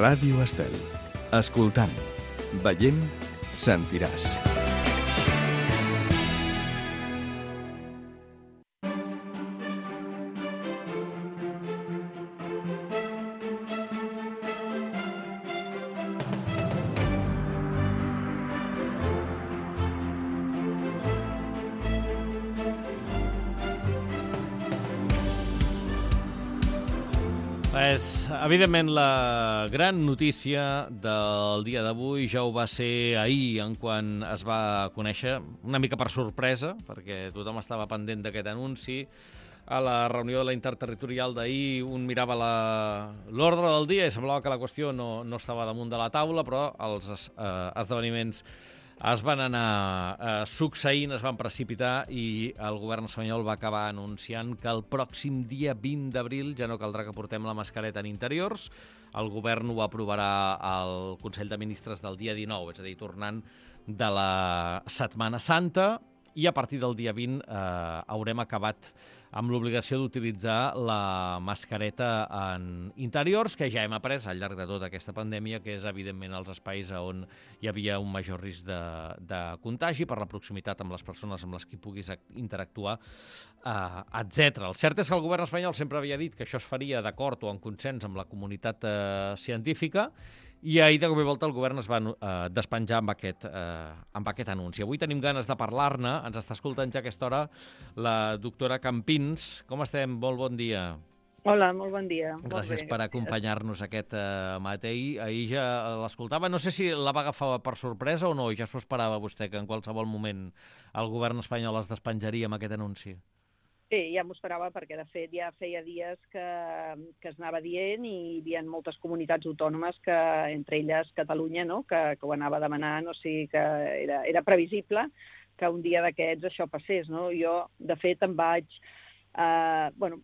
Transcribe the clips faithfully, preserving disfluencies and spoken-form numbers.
Ràdio Estel. Escoltant, veient, sentiràs. Pues, evidentment, la gran notícia del dia d'avui ja ho va ser ahir, en quan es va conèixer, una mica per sorpresa, perquè tothom estava pendent d'aquest anunci. A la reunió de la interterritorial d'ahir un mirava l'ordre del dia i semblava que la qüestió no, no estava damunt de la taula, però els eh, esdeveniments es van anar eh, succeint, es van precipitar i el govern espanyol va acabar anunciant que el pròxim dia vint d'abril ja no caldrà que portem la mascareta en interiors. El govern ho aprovarà al Consell de Ministres del dia dinou, és a dir, tornant de la Setmana Santa, i a partir del dia vint eh, haurem acabat amb l'obligació d'utilitzar la mascareta en interiors, que ja hem après al llarg de tota aquesta pandèmia, que és, evidentment, els espais on hi havia un major risc de, de contagi per la proximitat amb les persones amb les que puguis interactuar, eh, etcètera. El cert és que el govern espanyol sempre havia dit que això es faria d'acord o en consens amb la comunitat eh, científica, i ahir, de cop i volta, el govern es va eh, despenjar amb aquest, eh, amb aquest anunci. Avui tenim ganes de parlar-ne. Ens està escoltant ja a aquesta hora la doctora Campins. Com estem? Molt bon dia. Hola, molt bon dia. Gràcies per acompanyar-nos aquest eh, matí. Ahir ja l'escoltava. No sé si la va agafar per sorpresa o no, ja s'ho esperava vostè, que en qualsevol moment el govern espanyol es despenjaria amb aquest anunci. Sí, ja m'ho esperava perquè, de fet, ja feia dies que, que es anava dient i hi havia moltes comunitats autònomes, que entre elles Catalunya, no? que, que ho anava demanant, o sigui que era, era previsible que un dia d'aquests això passés. No? Jo, de fet, em vaig... Uh, bueno,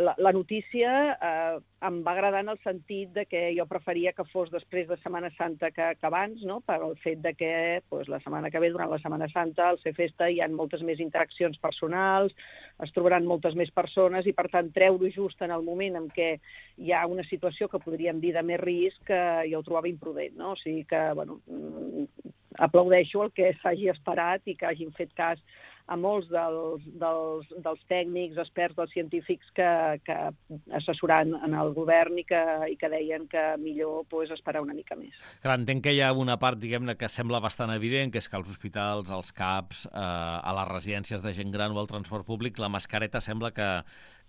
la, la notícia uh, em va agradar en el sentit de que jo preferia que fos després de Setmana Santa que, que abans, no? Per el fet de que pues, la setmana que ve, durant la Setmana Santa, al ser festa hi ha moltes més interaccions personals, es trobaran moltes més persones i, per tant, treure-ho just en el moment en què hi ha una situació que podríem dir de més risc, que jo ho trobava imprudent, no? O sigui que, bueno, aplaudeixo el que s'hagi esperat i que hagin fet cas a molts dels, dels, dels tècnics, experts, dels científics que, que assessoran en el govern i que, i que deien que millor pues, esperar una mica més. Clar, entenc que hi ha una part, diguem-ne, que sembla bastant evident, que és que als hospitals, als C A Ps, eh, a les residències de gent gran o al transport públic, la mascareta sembla que,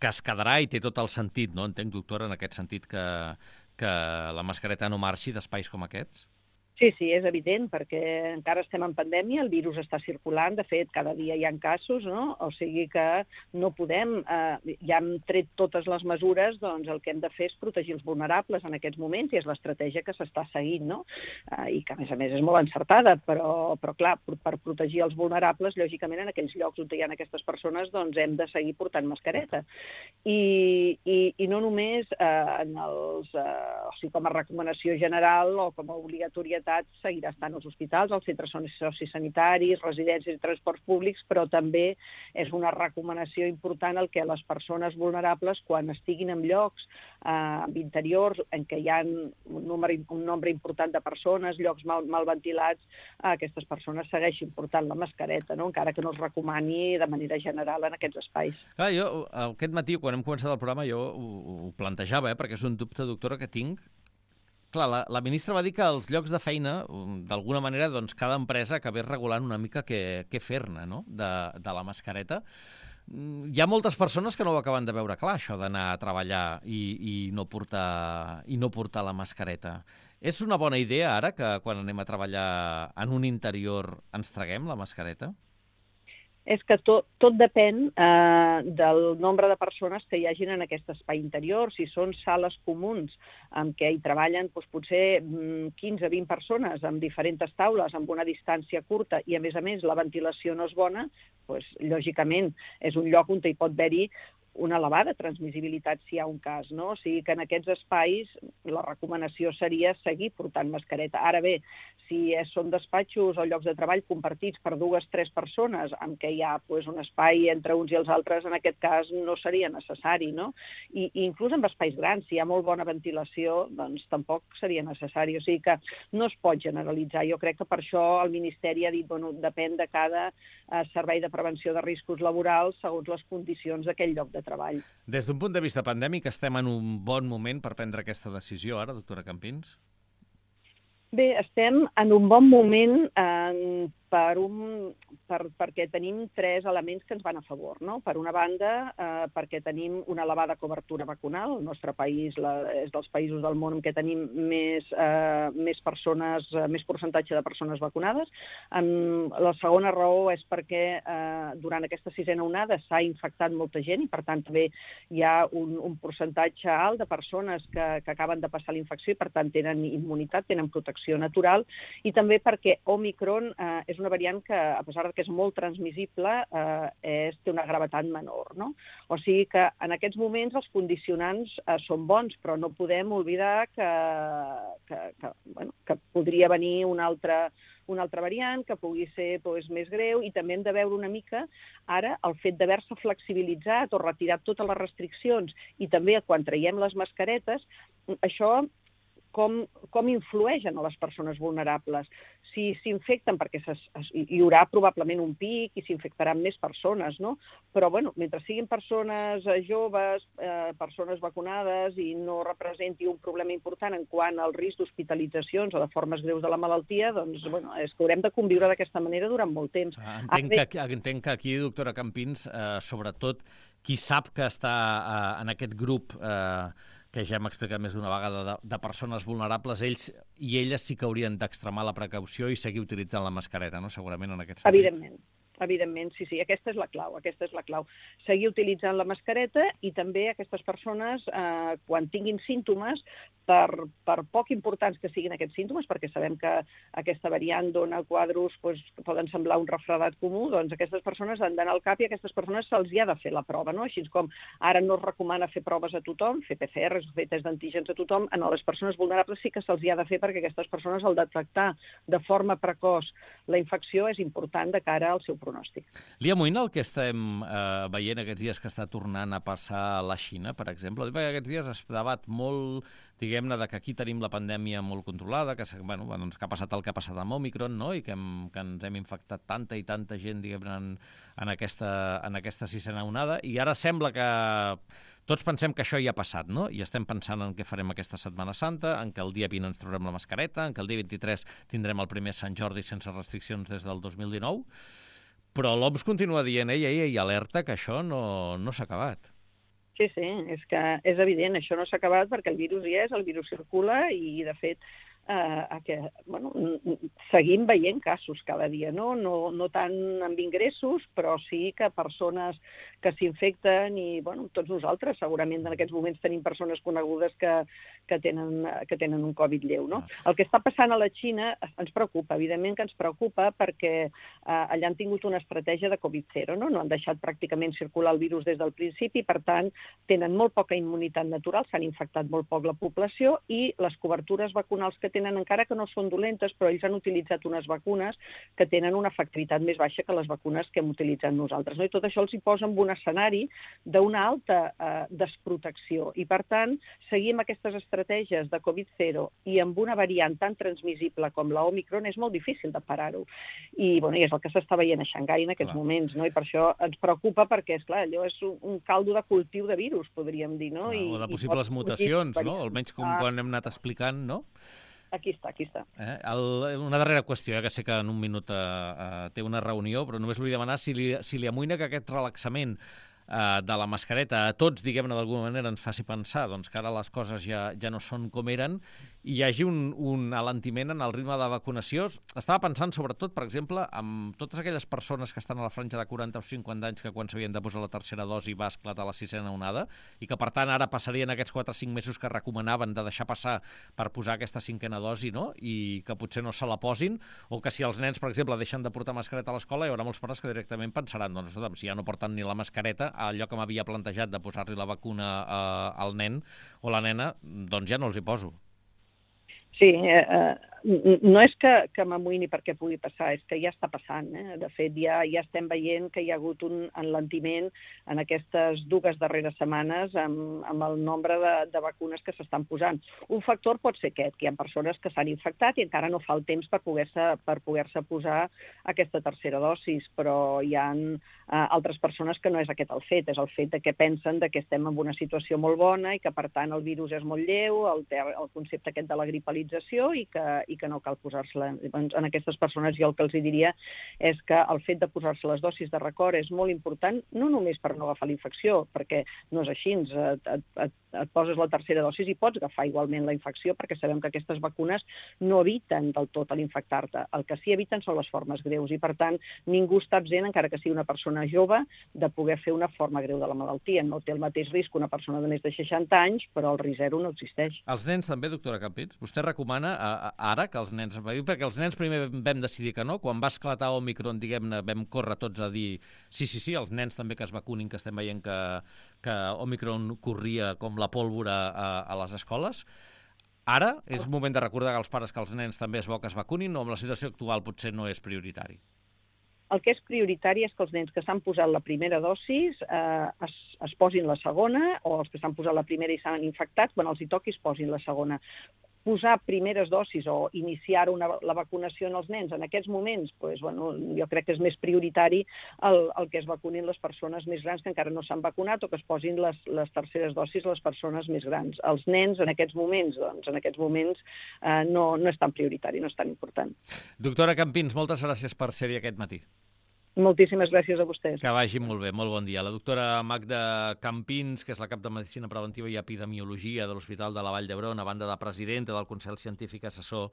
que es quedarà i té tot el sentit, no? Entenc, doctora, en aquest sentit que, que la mascareta no marxi d'espais com aquests? Sí, sí, és evident, perquè encara estem en pandèmia, el virus està circulant, de fet, cada dia hi ha casos, no? O sigui que no podem, eh, ja hem tret totes les mesures, doncs el que hem de fer és protegir els vulnerables en aquests moments, i és l'estratègia que s'està seguint, no? Eh, I que, a més a més, és molt encertada, però, però clar, per protegir els vulnerables, lògicament, en aquells llocs on hi ha aquestes persones, doncs hem de seguir portant mascareta. I, i, i no només eh, en els, eh, o sigui, com a recomanació general o com a obligatòria seguirà estant als hospitals, als centres sociosanitaris, residències i transports públics, però també és una recomanació important el que les persones vulnerables, quan estiguin en llocs eh, interiors en què hi ha un nombre, un nombre important de persones, llocs mal, mal ventilats, eh, aquestes persones segueixin portant la mascareta, no? Encara que no es recomani de manera general en aquests espais. Ah, jo, aquest matí, quan hem començat el programa, jo ho, ho plantejava, eh, perquè és un dubte, doctora, que tinc. Clar, la, la ministra va dir que als llocs de feina, d'alguna manera, doncs, cada empresa acabés regulant una mica què, què fer-ne, no?, de, de la mascareta. Hi ha moltes persones que no ho acaben de veure clar, això d'anar a treballar i, i, no portar, i no portar la mascareta. És una bona idea, ara, que quan anem a treballar en un interior ens traguem la mascareta? És que tot, tot depèn eh, del nombre de persones que hi hagin en aquest espai interior. Si són sales comuns en què hi treballen doncs, potser quinze a vint persones amb diferents taules, amb una distància curta i, a més a més, la ventilació no és bona, doncs, lògicament, és un lloc on hi pot haver-hi una elevada transmissibilitat si hi ha un cas, no? O sigui que en aquests espais la recomanació seria seguir portant mascareta. Ara bé, si són despatxos o llocs de treball compartits per dues o tres persones, en què hi ha pues, un espai entre uns i els altres, en aquest cas no seria necessari, no? I, i inclús en espais grans, si hi ha molt bona ventilació, doncs tampoc seria necessari. O sigui que no es pot generalitzar. Jo crec que per això el Ministeri ha dit, bueno, depèn de cada eh, servei de prevenció de riscos laborals segons les condicions d'aquell lloc de treball. Des d'un punt de vista pandèmic, estem en un bon moment per prendre aquesta decisió ara, doctora Campins? Bé, estem en un bon moment eh, per un, per, perquè tenim tres elements que ens van a favor, no? Per una banda, eh, perquè tenim una elevada cobertura vacunal. El nostre país la, és dels països del món en què tenim més, eh, més persones, eh, més percentatge de persones vacunades. Um, la segona raó és perquè eh, durant aquesta sisena onada s'ha infectat molta gent i, per tant, també hi ha un, un percentatge alt de persones que, que acaben de passar la infecció i, per tant, tenen immunitat, tenen protecció natural, i també perquè Omicron eh, és una variant que, a pesar que és molt transmissible, eh, és, té una gravetat menor, no? O sigui que en aquests moments els condicionants eh, són bons, però no podem oblidar que, que, que, bueno, que podria venir una altra, una altra variant que pugui ser doncs, més greu, i també hem de veure una mica ara el fet d'haver-se flexibilitzat o retirat totes les restriccions, i també quan traiem les mascaretes, això com, com influeixen a les persones vulnerables. Si s'infecten, perquè ses, hi haurà probablement un pic i s'infectaran més persones, no? Però, bueno, mentre siguin persones joves, eh, persones vacunades i no representi un problema important en quant al risc d'hospitalitzacions o de formes greus de la malaltia, doncs, bueno, és que haurem de conviure d'aquesta manera durant molt temps. Ah, entenc, Ara, que, entenc que aquí, doctora Campins, eh, sobretot qui sap que està eh, en aquest grup eh, que ja hem explicat més d'una vegada, de, de persones vulnerables, ells i elles sí que haurien d'extremar la precaució i seguir utilitzant la mascareta, no? Segurament en aquest sentit. Evidentment. Evidentment, sí, sí, aquesta és la clau, aquesta és la clau. Seguir utilitzant la mascareta, i també aquestes persones, eh, quan tinguin símptomes, per, per poc importants que siguin aquests símptomes, perquè sabem que aquesta variant dona quadros doncs, que poden semblar un refredat comú, doncs aquestes persones han d'anar al cap i a aquestes persones se'ls hi ha de fer la prova, no? Així com ara no es recomana fer proves a tothom, fer P C Rs o fer test d'antígens a tothom, a les persones vulnerables sí que se'ls hi ha de fer, perquè aquestes persones, al detectar de forma precoç la infecció, és important de cara al seu pronòstic. Li amoïna el que estem eh, veient aquests dies que està tornant a passar a la Xina, per exemple? Aquests dies es debat molt, diguem-ne, de que aquí tenim la pandèmia molt controlada, que, bueno, doncs, que ha passat el que ha passat amb Omicron, no? I que, hem, que ens hem infectat tanta i tanta gent, diguem-ne, en, en, aquesta, en aquesta sisena onada, i ara sembla que tots pensem que això ja ha passat, no? I estem pensant en què farem aquesta Setmana Santa, en què el dia vint ens traurem la mascareta, en què el dia vint-i-tres tindrem el primer Sant Jordi sense restriccions des del dos mil dinou, però l'O M S continua dient, ei, ei, ei, alerta, que això no, no s'ha acabat. Sí, sí, és que és evident, això no s'ha acabat perquè el virus hi és, el virus circula i, de fet, eh, que, bueno, seguim veient casos cada dia, no? No, no tant amb ingressos, però sí que persones que s'infecten i, bueno, tots nosaltres segurament en aquests moments tenim persones conegudes que, que, tenen, que tenen un Covid lleu, no? El que està passant a la Xina ens preocupa, evidentment que ens preocupa perquè eh, allà han tingut una estratègia de Covid zero, no? No han deixat pràcticament circular el virus des del principi, per tant, tenen molt poca immunitat natural, s'han infectat molt poc la població i les cobertures vacunals que tenen, encara que no són dolentes, però ells han utilitzat unes vacunes que tenen una efectivitat més baixa que les vacunes que hem utilitzat nosaltres, no? I tot això els hi posa en un escenari d'una alta eh, desprotecció. I, per tant, seguir amb aquestes estratègies de Covid zero i amb una variant tan transmissible com la Omicron és molt difícil de parar-ho. I, bueno, i és el que s'està veient a Xangai en aquests clar. moments, no? I per això ens preocupa perquè, esclar, allò és un, un caldo de cultiu de virus, podríem dir, no? Clar, I, o de possibles mutacions, no? Almenys com quan hem anat explicant, no? Aquí està, aquí està. Eh? El, una darrera qüestió, eh, que sé que en un minut eh, eh, té una reunió, però només vull demanar si li, si li amoïna que aquest relaxament eh, de la mascareta a tots, diguem-ne, d'alguna manera ens faci pensar doncs, que ara les coses ja, ja no són com eren hi hagi un, un alentiment en el ritme de vacunació. Estava pensant, sobretot, per exemple, en totes aquelles persones que estan a la franja de quaranta o cinquanta anys que quan s'havien de posar la tercera dosi va esclatar la sisena onada i que, per tant, ara passarien aquests quatre o cinc mesos que recomanaven de deixar passar per posar aquesta cinquena dosi, no? I que potser no se la posin, o que si els nens, per exemple, deixen de portar mascareta a l'escola, hi haurà molts pares que directament pensaran, doncs, escolta'm, si ja no porten ni la mascareta, allò que m'havia plantejat de posar-li la vacuna eh, al nen o la nena, doncs ja no els hi poso. Sí, eh, eh, no és que, que m'amoïni perquè pugui passar, és que ja està passant. Eh? De fet, ja, ja estem veient que hi ha hagut un enlentiment en aquestes dues darreres setmanes amb, amb el nombre de, de vacunes que s'estan posant. Un factor pot ser aquest, que hi ha persones que s'han infectat i encara no fa el temps per poder-se per poder-se posar aquesta tercera dosis, però hi ha eh, altres persones que no és aquest el fet, és el fet de que pensen de que estem en una situació molt bona i que, per tant, el virus és molt lleu, el, el concepte aquest de la gripalització i que, i que no cal posar-se-la. En aquestes persones jo el que els diria és que el fet de posar-se les dosis de record és molt important, no només per no agafar la infecció, perquè no és així, et, et, et, et poses la tercera dosis i pots agafar igualment la infecció, perquè sabem que aquestes vacunes no eviten del tot l'infectar-te. El que sí eviten són les formes greus i, per tant, ningú està absent, encara que sigui una persona jove, de poder fer una forma greu de la malaltia. No té el mateix risc una persona de més de seixanta anys, però el risc zero no existeix. Els nens també, doctora Campins? Vostè recomana a, a, ara que els nens... Perquè els nens primer vam decidir que no, quan va esclatar Omicron, diguem-ne, vam córrer tots a dir sí, sí, sí, els nens també que es vacunin, que estem veient que, que Omicron corria com la pólvora a, a les escoles. Ara és moment de recordar als pares que els nens també és bo que es vacunin, o amb la situació actual potser no és prioritari? El que és prioritari és que els nens que s'han posat la primera dosis eh, es, es posin la segona, o els que s'han posat la primera i s'han infectat, quan els hi toqui es posin la segona. Posar primeres dosis o iniciar una, la vacunació en els nens en aquests moments, pues, bueno, jo crec que és més prioritari el, el que es vacunin les persones més grans que encara no s'han vacunat o que es posin les, les terceres dosis les persones més grans. Els nens en aquests moments, doncs, en aquests moments eh, no, no és tan prioritari, no és tan important. Doctora Campins, moltes gràcies per ser-hi aquest matí. Moltíssimes gràcies a vostès. Que vagi molt bé, molt bon dia. La doctora Magda Campins, que és la cap de Medicina Preventiva i Epidemiologia de l'Hospital de la Vall d'Hebron, a banda de presidenta del Consell Científic Assessor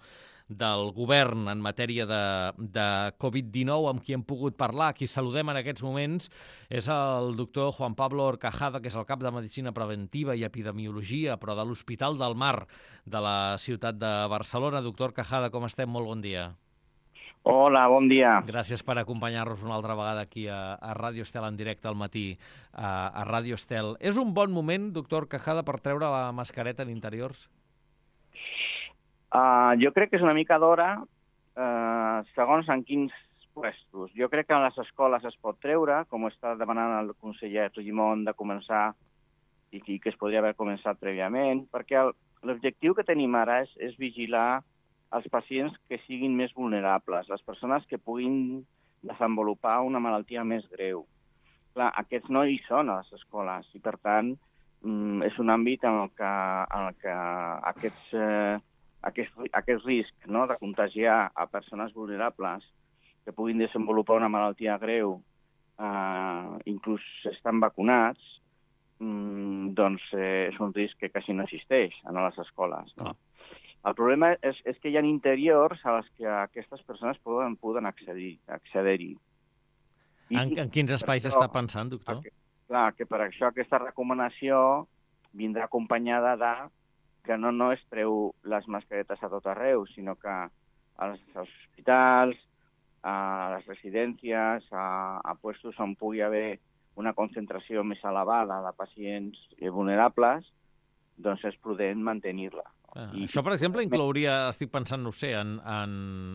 del Govern en matèria de, de Covid dinou, amb qui hem pogut parlar. Qui saludem en aquests moments és el doctor Juan Pablo Horcajada, que és el cap de Medicina Preventiva i Epidemiologia, però de l'Hospital del Mar de la ciutat de Barcelona. Doctor Horcajada, com estem? Molt bon dia. Hola, bon dia. Gràcies per acompanyar-nos una altra vegada aquí a, a Ràdio Estel en directe al matí, a, a Ràdio Estel. És un bon moment, doctor Horcajada, per treure la mascareta en interiors? Uh, jo crec que és una mica d'hora, uh, segons en quins puestos. Jo crec que a les escoles es pot treure, com està demanant el conseller Argimon de començar, i que es podria haver començat prèviament, perquè l'objectiu que tenim ara és, és vigilar els pacients que siguin més vulnerables, les persones que puguin desenvolupar una malaltia més greu. Clar, aquests no hi són a les escoles i, per tant, és un àmbit en el que, en el que aquests, eh, aquest, aquest risc, no?, de contagiar a persones vulnerables que puguin desenvolupar una malaltia greu, eh, inclús estan vacunats, mm, doncs eh, és un risc que quasi no existeix a les escoles, no? Ah. El problema és, és que hi ha interiors a les que aquestes persones poden, poden accedir, accedir-hi. En, en quins espais això, està pensant, doctor? Que, clar, que per això aquesta recomanació vindrà acompanyada de que no, no es treu les mascaretes a tot arreu, sinó que als hospitals, a les residències, a, a puestos on pugui haver una concentració més elevada de pacients vulnerables, doncs és prudent mantenir-la. Ah, I, això, per exemple, inclouria, estic pensant, no sé, en, en,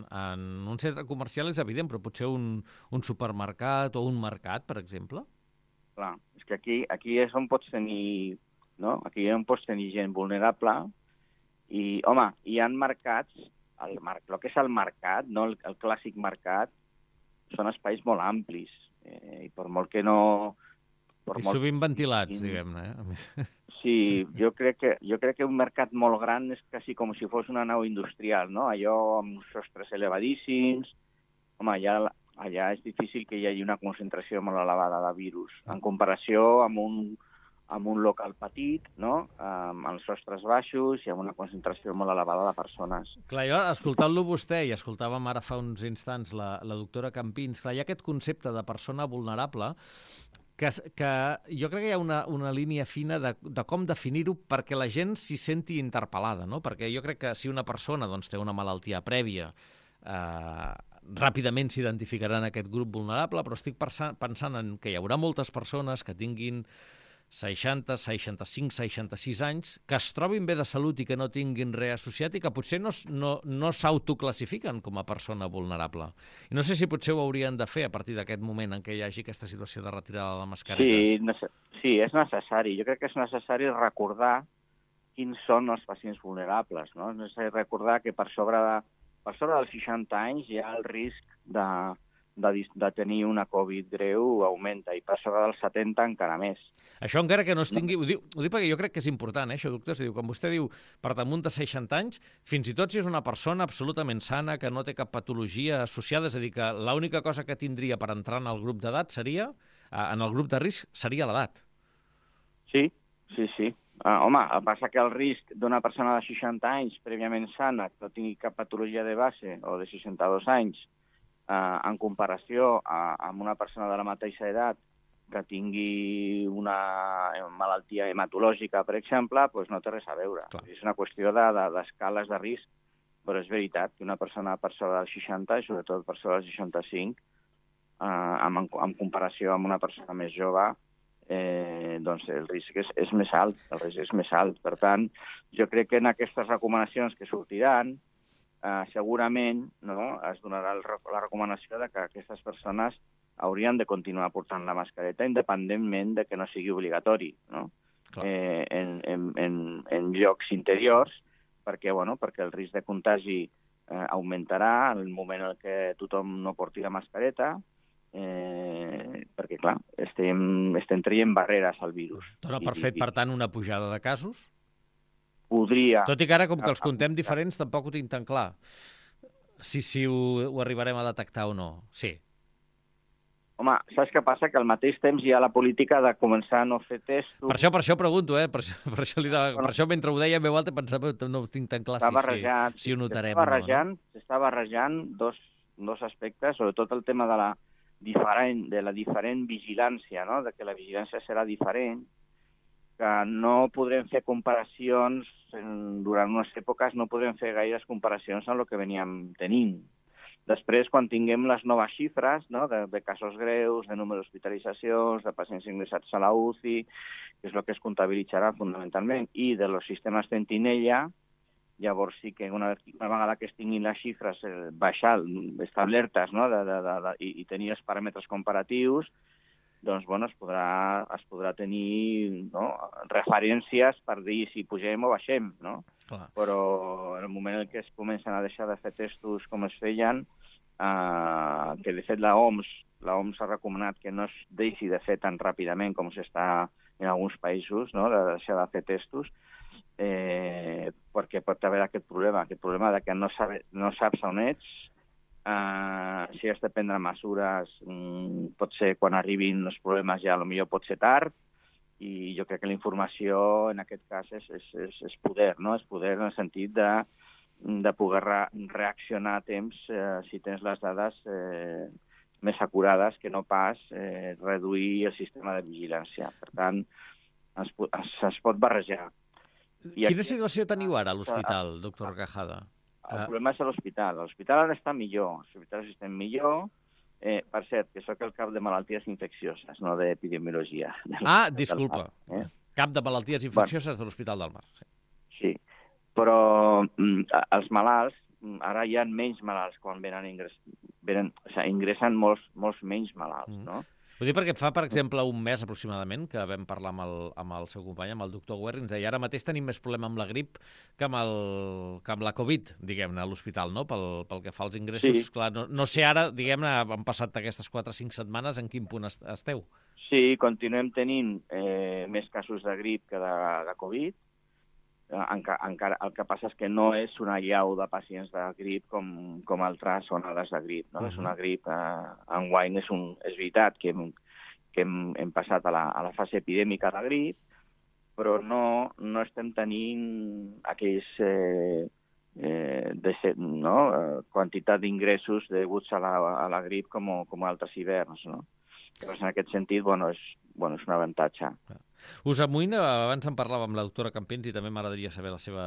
en un centre comercial és evident, però potser un, un supermercat o un mercat, per exemple? Clar, és que aquí, aquí és on pots tenir, no? Aquí és on pots tenir gent vulnerable i, home, hi ha mercats, el, el que és el mercat, no el, el clàssic mercat, són espais molt amplis eh, i per molt que no... Per I molt... sovint ventilats, diguem-ne. Eh? Sí, jo crec, que, jo crec que un mercat molt gran és quasi com si fos una nau industrial, no? Allò amb sostres elevadíssims. Home, allà, allà és difícil que hi hagi una concentració molt elevada de virus, en comparació amb un, en un local petit, no? Amb els sostres baixos i amb una concentració molt elevada de persones. Clar, jo, escoltant-lo vostè, i escoltàvem ara fa uns instants la, la doctora Campins, clar, hi ha aquest concepte de persona vulnerable que, que jo crec que hi ha una, una línia fina de, de com definir-ho perquè la gent s'hi senti interpel·lada, no? Perquè jo crec que si una persona doncs, té una malaltia prèvia, eh, ràpidament s'identificarà en aquest grup vulnerable, però estic pensant en que hi haurà moltes persones que tinguin seixanta, seixanta-cinc, seixanta-sis anys, que es trobin bé de salut i que no tinguin res associat i que potser no, no, no s'autoclassifiquen com a persona vulnerable. I no sé si potser ho haurien de fer a partir d'aquest moment en què hi hagi aquesta situació de retirada de mascaretes. Sí, sí, és necessari. Jo crec que és necessari recordar quins són els pacients vulnerables, no? És necessari recordar que per sobre, de, per sobre dels seixanta anys hi ha el risc de, de, de tenir una Covid greu augmenta, i per sobre dels setanta encara més. Això encara que no es tingui... Ho dic, ho dic perquè jo crec que és important, eh, això, doctor. Diu, quan vostè diu per damunt de seixanta anys, fins i tot si és una persona absolutament sana, que no té cap patologia associada, és a dir, que l'única cosa que tindria per entrar en el grup d'edat seria, en el grup de risc, seria l'edat. Sí, sí, sí. Uh, home, passa que el risc d'una persona de seixanta anys prèviament sana, que no tingui cap patologia de base, o de seixanta-dos anys, uh, en comparació a, amb una persona de la mateixa edat que tingui una malaltia hematològica, per exemple, doncs no té res a veure. Clar. És una qüestió d'escales de, de risc, però és veritat que una persona per sobre dels seixanta, i sobretot per sobre dels seixanta-cinc, eh, en, en comparació amb una persona més jove, eh, doncs el risc és, és més alt, el risc és més alt. Per tant, jo crec que en aquestes recomanacions que sortiran, eh, segurament no, es donarà el, la recomanació de que aquestes persones haurien de continuar portant la mascareta independentment de que no sigui obligatori, no? Eh, en, en, en, en llocs interiors, perquè, bueno, perquè el risc de contagi eh, augmentarà en el moment en què tothom no porti la mascareta, eh, perquè, clar, estem, estem traient barreres al virus. Dona per fet, per tant, una pujada de casos? Podria... Tot i que ara, com que els contem diferents, tampoc ho tinc tan clar. Si, si ho, ho arribarem a detectar o no. Sí. Home, saps què passa? Que al mateix temps hi ha la política de començar a no fer testos... Per això, per això pregunto, eh? Per això, per això, li de... bueno, per això mentre ho deia en veu alta pensava que no ho tinc tan clar si, si ho notarem o no. S'està barrejant dos, dos aspectes, sobretot el tema de la diferent, de la diferent vigilància, no? De que la vigilància serà diferent, que no podrem fer comparacions, en, durant unes èpoques no podrem fer gaires comparacions amb el que veníem tenint. Després, quan tinguem les noves xifres, no, de, de casos greus, de número d'hospitalitzacions, de pacients ingressats a la U C I, que és el que es comptabilitzarà fundamentalment, i de los sistemes Sentinella, llavors sí que una, una vegada que es tinguin les xifres eh, baixar, establertes, no, de, de, de, de, i, i tenir els paràmetres comparatius, doncs bueno, es podrà, es podrà tenir, no, referències per dir si pugem o baixem, no? Clar. Però en el moment en què es comencen a deixar de fer testos com es feien, eh, que de fet la O M S la O M S ha recomanat que no es deixi de fer tan ràpidament com s'està en alguns països, no? De deixar de fer testos, eh, perquè pot haver aquest problema, aquest problema de que no, sabe, no saps on ets, eh, si has de prendre mesures, mm, pot ser quan arribin els problemes ja potser pot ser tard, i jo crec que la informació en aquest cas és, és, és, és poder, no? És poder en el sentit de, de poder re reaccionar a temps eh, si tens les dades eh, més acurades que no pas eh, reduir el sistema de vigilància. Per tant, es, es, es pot barrejar. I Quina aquí, situació teniu ara a l'hospital, doctor Cajada? El problema és a l'hospital. L'hospital ara està millor. L'hospital està millor. Eh, per cert, que sóc el cap de malalties infeccioses, no d'epidemiologia. Ah, disculpa. Eh? Cap de malalties infeccioses bueno, de l'Hospital del Mar. Sí, sí. Però mm, els malalts, ara hi ha menys malalts quan venen, ingress... venen o sigui, ingressen molts, molts menys malalts, mm. no? Ho dic perquè fa, per exemple, un mes aproximadament que vam parlar amb el, amb el seu company, amb el doctor Guerri, ens deia ara mateix tenim més problema amb la grip que amb, el, que amb la Covid, diguem-ne, a l'hospital, no? Pel, pel que fa als ingressos. Sí. Clar, no, no sé ara, diguem-ne, han passat aquestes quatre o cinc setmanes, en quin punt esteu? Sí, continuem tenint eh, més casos de grip que de, de Covid. Enca, encara, el que passa és que no és una llau de pacients de grip com, com altres onades de grip. No? Uh -huh. És una grip, eh, enguany és, un, és veritat que, hem, que hem, hem passat a la, a la fase epidèmica de grip, però no, no estem tenint aquells eh, eh, de, no? quantitat d'ingressos deguts a la, a la grip com, com altres hiverns. No? Llavors, en aquest sentit, bueno, és, bueno, és un avantatge. Us amoïna, abans en parlava amb la doctora Campins i també m'agradaria saber la seva,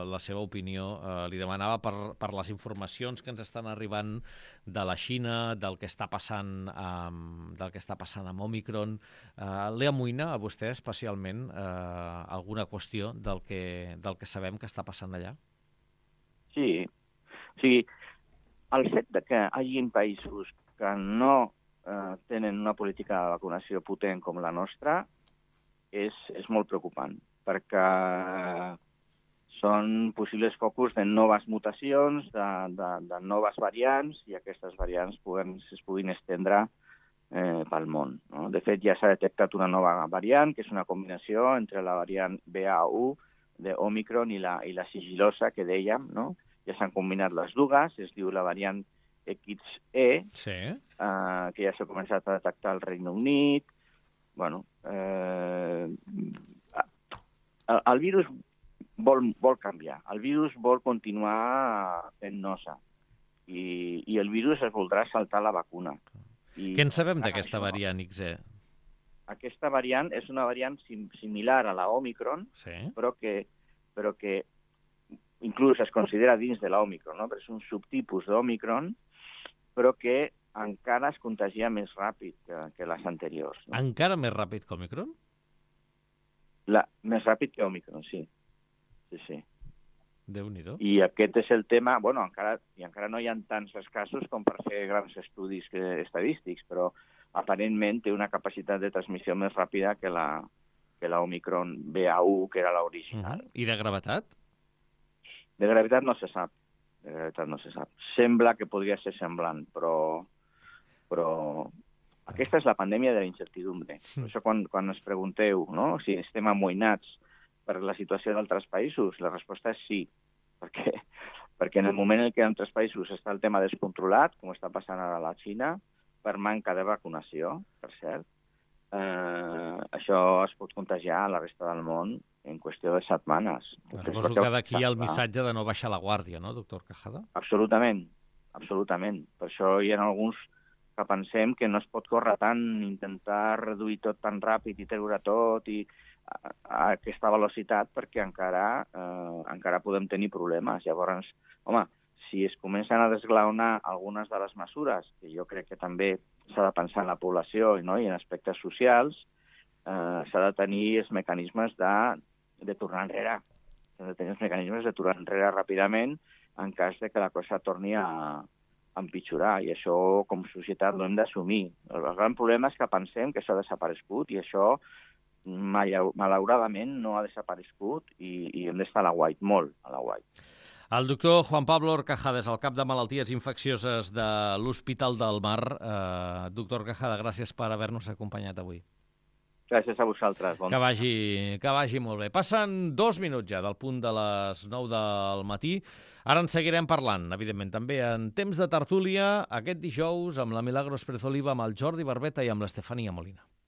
la seva opinió. Eh, li demanava per, per les informacions que ens estan arribant de la Xina, del que està passant amb, del que està passant amb Omicron. Eh, li amoïna a vostè especialment eh, alguna qüestió del que, del que sabem que està passant allà? Sí. O sigui, el fet de que hi hagi països que no eh, tenen una política de vacunació potent com la nostra és, és molt preocupant, perquè són possibles focus de noves mutacions, de, de, de noves variants, i aquestes variants puguen, es puguin estendre eh, pel món. No? De fet, ja s'ha detectat una nova variant, que és una combinació entre la variant B A u de Omicron i la, i la sigilosa, que dèiem, no? Ja s'han combinat les dues, es diu la variant X E, sí. eh, que ja s'ha començat a detectar al Regne Unit. Bueno, eh, el, el virus vol, vol canviar, el virus vol continuar fent nosa, i, i el virus es voldrà saltar la vacuna. I què en sabem d'aquesta variant X E? Aquesta variant és una variant sim, similar a la Omicron, sí. però, que, però que inclús es considera dins de l'Omicron, no? Però és un subtipus d'Omicron, però que encara es contagia més ràpid que, que les anteriors. No? Encara més ràpid que Omicron? La, més ràpid que Omicron, sí. Sí, sí. Déu-n'hi-do. I aquest és el tema... Bueno, encara, i encara no hi ha tants casos com per fer grans estudis que, estadístics, però aparentment té una capacitat de transmissió més ràpida que la, que la Omicron B A u, que era l'original. Uh-huh. I de gravetat? De gravetat no se sap. De gravetat no se sap. Sembla que podria ser semblant, però... però aquesta és la pandèmia de la incertidumbre. Per això quan, quan ens pregunteu, no?, si estem amoïnats per la situació d'altres països, la resposta és sí, perquè, perquè en el moment en què en altres països està el tema descontrolat, com està passant ara a la Xina, per manca de vacunació, per cert, eh, això es pot contagiar a la resta del món en qüestió de setmanes. Suposo que d'aquí hi ha el missatge de no baixar la guàrdia, no, doctor Quejada? Absolutament, absolutament. Per això hi ha alguns que pensem que no es pot córrer tant, intentar reduir tot tan ràpid i treure tot i a, a aquesta velocitat, perquè encara, eh, encara podem tenir problemes. Llavors, home, si es comencen a desglaonar algunes de les mesures, que jo crec que també s'ha de pensar en la població, no?, i en aspectes socials, eh, s'ha de tenir els mecanismes de, de tornar enrere. S'ha de tenir els mecanismes de tornar enrere ràpidament en cas de que la cosa torni a empitjorar, i això com a societat no hem d'assumir. El gran problema és que pensem que això ha desaparegut, i això malauradament no ha desaparegut, i, i hem d'estar a la guait, molt a la guait. El doctor Juan Pablo Horcajada és el cap de malalties infeccioses de l'Hospital del Mar. Eh, doctor Horcajada, gràcies per haver-nos acompanyat avui. Gràcies a vosaltres. Bon que, vagi, que vagi molt bé. Passen dos minuts ja del punt de les nou del matí. Ara en seguirem parlant, evidentment, també en temps de tertúlia, aquest dijous, amb la Milagros Pérez Oliva, amb el Jordi Barbeta i amb l'Estefania Molina.